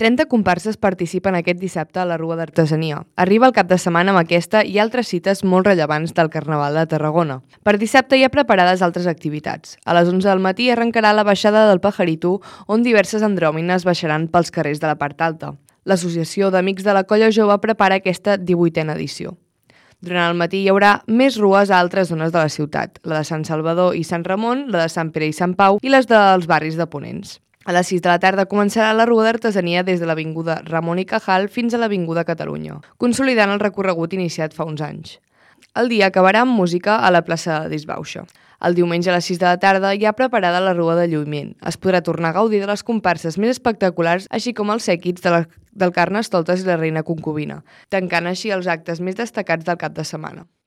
30 comparses participen aquest dissabte a la Rua d'Artesania. Arriba el cap de setmana amb aquesta i altres cites molt rellevants del Carnaval de Tarragona. Per dissabte hi ha preparades altres activitats. A les 11 del matí arrencarà la baixada del Pajarito, on diverses andròmines baixaran pels carrers de la part alta. L'Associació d'Amics de la Colla Jove prepara aquesta 18a edició. Durant el matí hi haurà més rues a altres zones de la ciutat, la de Sant Salvador i Sant Ramon, la de Sant Pere i Sant Pau i les dels barris de Ponents. A les 6 de la tarda començarà la Rua d'Artesania des de l'avinguda Ramon i Cajal fins a l'avinguda Catalunya, consolidant el recorregut iniciat fa uns anys. El dia acabarà amb música a la plaça de Disbauxa. El diumenge a les 6 de la tarda hi ha preparada la Rua de Lluïment. Es podrà tornar a gaudir de les comparses més espectaculars, així com els sèquits del Carnestoltes i la Reina Concubina, tancant així els actes més destacats del cap de setmana.